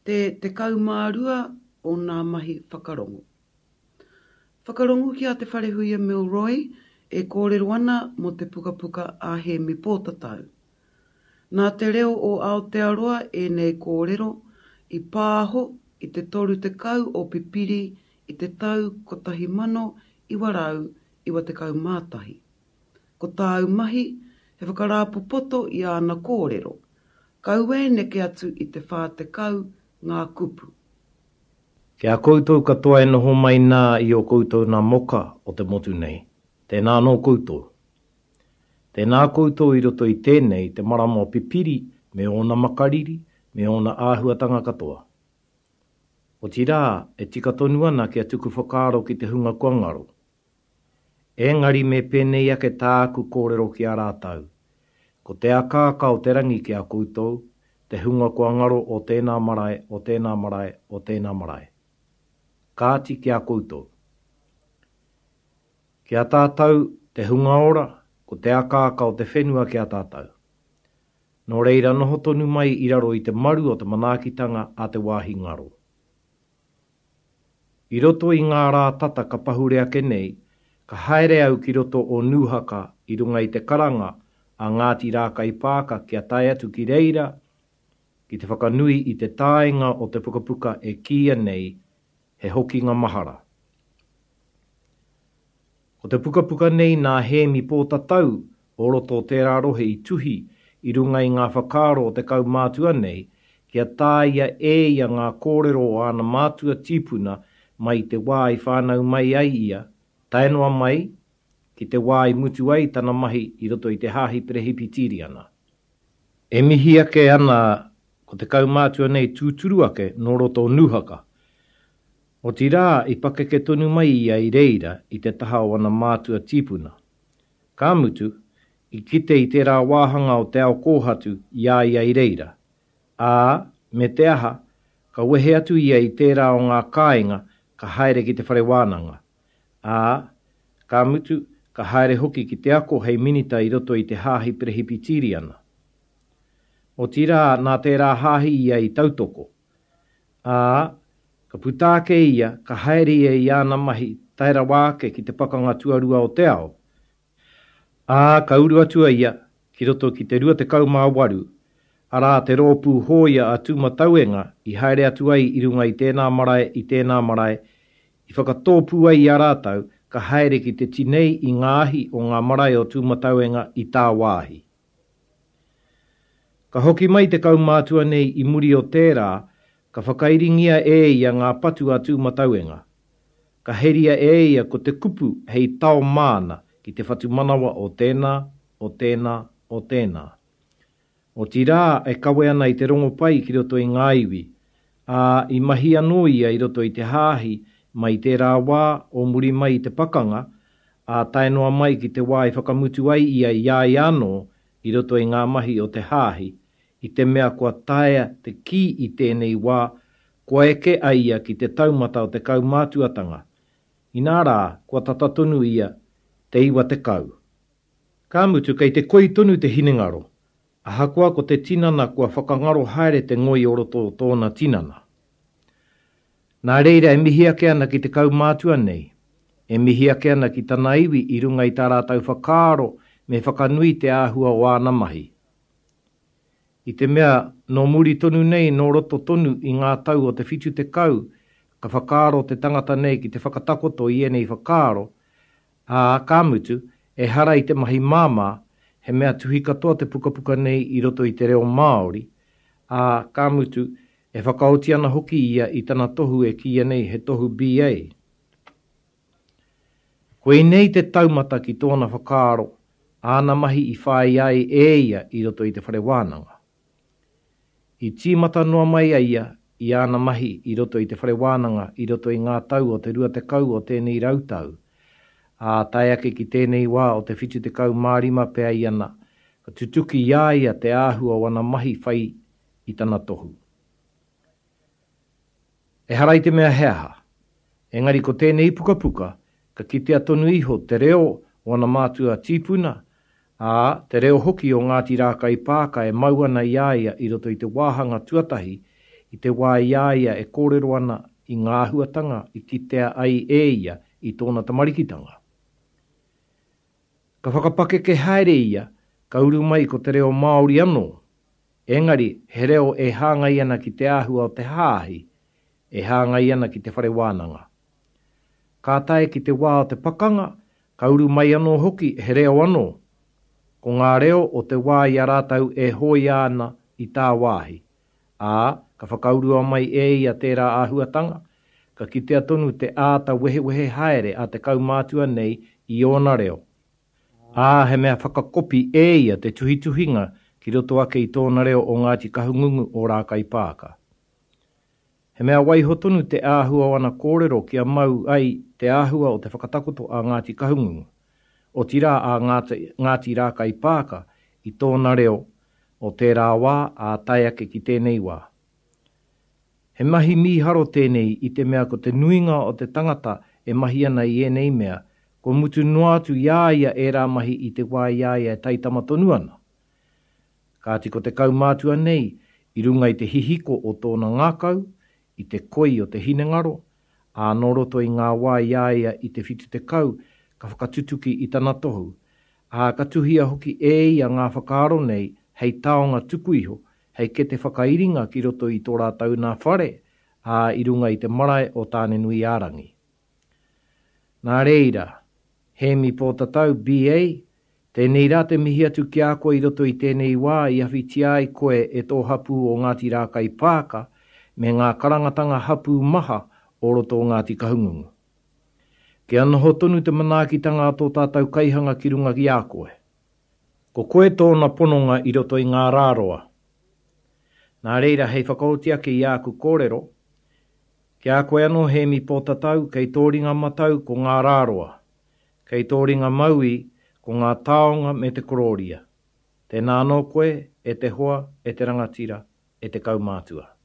Te 12 o nā mahi whakarongo. Whakarongo ki a Te Wharehuia Milroy e kōrero ana mō te pukapuka a Hēmi Pōtatau. Nā Te Reo o Aotearoa ēnei kōrero i pāho i te 30 o Pipiri i te tau 1991. Ko tāu mahi he whakarāpopoto i āna kōrero, Kaua e neke atu i te 40 ngā kupu. Ki a koutou katoa e noho mai nā i ō koutou nā moka o te motu nei, tēnā anō koutou. Tēnā koutou i roto i tēnei te marama o Pipiri me ōna makariri, me ōna āhuatanga katoa. Otirā, e tika tonu ana kia tuku whakaaro ki te hunga kua ngaro. Engari me pēnei ake tāku kōrero ki a rātou, Ko te akaaka o te rangi ki a koutou, te hunga kua ngaro o tēnā marae, o tēnā marae, o tēnā marae. Kāti ki a koutou. Ki a tātou, te hunga ora, ko te akaaka o te whenua ki a tātou. Nō reira noho tonu mai i raro i te maru o te manaakitanga a te wāhi ngaro. I roto i ngā rā tata ka pahure ake nei, ka haere au ki roto o Nūhaka i runga i te karanga a Ngāti Rākaipaaka kia tae atu ki reira ki te whakanui i te tāenga o te pukapuka e kīia nei He Hokinga Mahara. Ko te pukapuka nei nā Hēmi Pōtatau o roto o tērā rohe i tuhi i runga i ngā whakaaro o te kaumātua nei kia tāia e ia ngā kōrero o āna mātua tīpuna mai i te wā i whānau mai ai ia tae noa mai ki te wā i mutu ai tana mahi i roto i te Hāhi Perehipitīriana. E mihi ake ana ko te kaumātua nei tūturu ake nō roto o Nūhaka. Otirā, i pakeke tonu mai ia i reira i te taha o ana mātua tīpuna. Ka mutu, i kite i tērā wāhanga o te ao kōhatu i a ia i reira. Ā, me te aha, ka wehe atu ia i tērā o ngā kāinga ka haere ki te whare wānanga. Ā, ka mutu, ka haere hoki ki te ako hei minita i roto i te Hāhi Perehipitīriana. Otirā, nā tērā hāhi ia i tautoko. Ā, ka puta ake ia, ka haere ia i āna mahi tae rawa ake ki te Pakanga Tuarua o te Ao. Ā, ka uru atu a ia ki roto ki te 28, arā, te rōpū hōia a Tūmatauenga i haere atu ai i runga i tēnā marae, i tēnā marae, i whakatōpū ai i a rātou ka haere ki te tinei i ngā ahi o ngā marae o Tūmatauenga i tāwāhi. Ka hoki mai te kaumātua nei i muri o tērā, ka whakairingia e ia ngā patu a Tūmatauenga. Ka heria e ia ko te kupu hei tao māna ki te whatumanawa o tēnā, o tēnā, o tēnā. Otirā e kawe ana i te rongopai ki roto i ngā iwi, ā, i mahi anō ia i roto i te hāhi mai i tērā wā o muri mai i te pakanga, ā, tae noa mai ki te wā i whakamutu ai ia i a ia anō i roto i ngā mahi o te Hāhi, i te mea kua taea te kī i tēnei wā kua eke a ia ki te taumata o te kaumātuatanga, inā rā kua tata tonu ia te 90. Ka mutu kei te koi tonu te hinengaro, ahakoa ko te tinana kua whakangaro haere te ngoi o roto o tōna tinana. Nā reira e mihi ake ana ki te kaumātua nei, e mihi ake ana ki tana iwi i runga i tā rātou whakaaro me whakanui te āhua o āna mahi. I te mea, nō muri tonu nei nō roto tonu i ngā tau o te 70 ka whakaaro te tangata nei ki te whakatakoto i ēnei whakaaro, ā, ka mutu, ehara i te mahi māmā, he mea tuhi katoa te pukapuka nei i roto i te reo Māori, ā, ka mutu, E whakaoti ana hoki ia i tana tohu e kīia nei he tohu BA. Koinei te taumata ki tōna whakaaro, āna mahi i whāia ai e ia i roto i te whare wānanga. I tīmata noa mai a ia i āna mahi i roto i te whare wānanga i roto i ngā tau o te 20 o tēnei rautau, ā, tae ake ki tēnei wā o te 75 pea ia na, ka tutuki i a ia te āhua o ana mahi whai i tana tohu. Ehara i te mea he aha, engari ko tēnei pukapuka ka kitea tonu iho te reo o ana mātua tīpuna, ā, te reo hoki o Ngāti Rākaipaaka e mau ana i a ia i roto i te wāhanga tuatahi i te wā i a ia e kōrero ana i ngā āhuatanga i kitea ai e ia i tōna tamarikitanga. Ka whakapakeke haere ia, ka uru mai ko te reo Māori anō, engari he reo e hāngai ana ki te āhua o te hāhi, e hāngai ana ki te whare wānanga. Ka tae ki te wā o te pakanga, ka uru mai anō hoki he reo anō, ko ngā reo o te wā i a rātou e hōia ana i tāwāhi, ā, ka whakaurua mai e ia tērā āhuatanga, ka kitea tonu te āta wehewehe haere a te kaumātua nei i ōna reo, ā, he mea whakakopi e ia te tuhituhinga ki roto ake i tōna reo o Ngāti Kahungungu o Rākaipaaka. He mea waiho tonu te āhua o ana kōrero kia mau ai te āhua o te whakatakoto a Ngāti Kahungungu, otirā a Ngāti Rākaipaaka i tōna reo o tērā wā ā tae ake ki tēnei wā. He mahi mīharo tēnei i te mea ko te nuinga o te tangata e mahi ana i ēnei mea, kua mutu noa atu i a ia ērā mahi i te wā i a ia e taitama tonu ana. Kāti ko te kaumātua nei, i runga i te hihiko o tōna ngākau, i te koi o te hinengaro, ā, nō roto i ngā wā i a ia i te 70 ka whakatutuki i tana tohu, ā, ka tuhia hoki e ia ngā whakaaro nei hei taonga tuku iho, hei kete whakairinga ki roto i tō rātou nā whare, ā, i runga i te marae o Tāne-nui-ā-rangi. Nā reira, Hēmi Pōtatau, BA, tēnei rā te mihi atu ki a koe i roto i tēnei wā i awhitia ai koe e tō hapū o Ngāti Rākaipaaka me ngā karangatanga hapū maha o roto o Ngāti Kahungungu. Kia noho tonu te manaakitanga a tō tātou Kaihanga ki runga ki a koe. Ko koe tōna pononga i roto i ngā rā roa. Nā reira, hei whakaoti ake i āku kōrero, ki a koe anō Hēmi Pōtatau, kei tō ringa matau ko ngā rā roa, kei tō ringa mauī ko ngā taonga me te korōria. Tēnā anō koe, e te hoa, e te rangatira, e te kaumātua.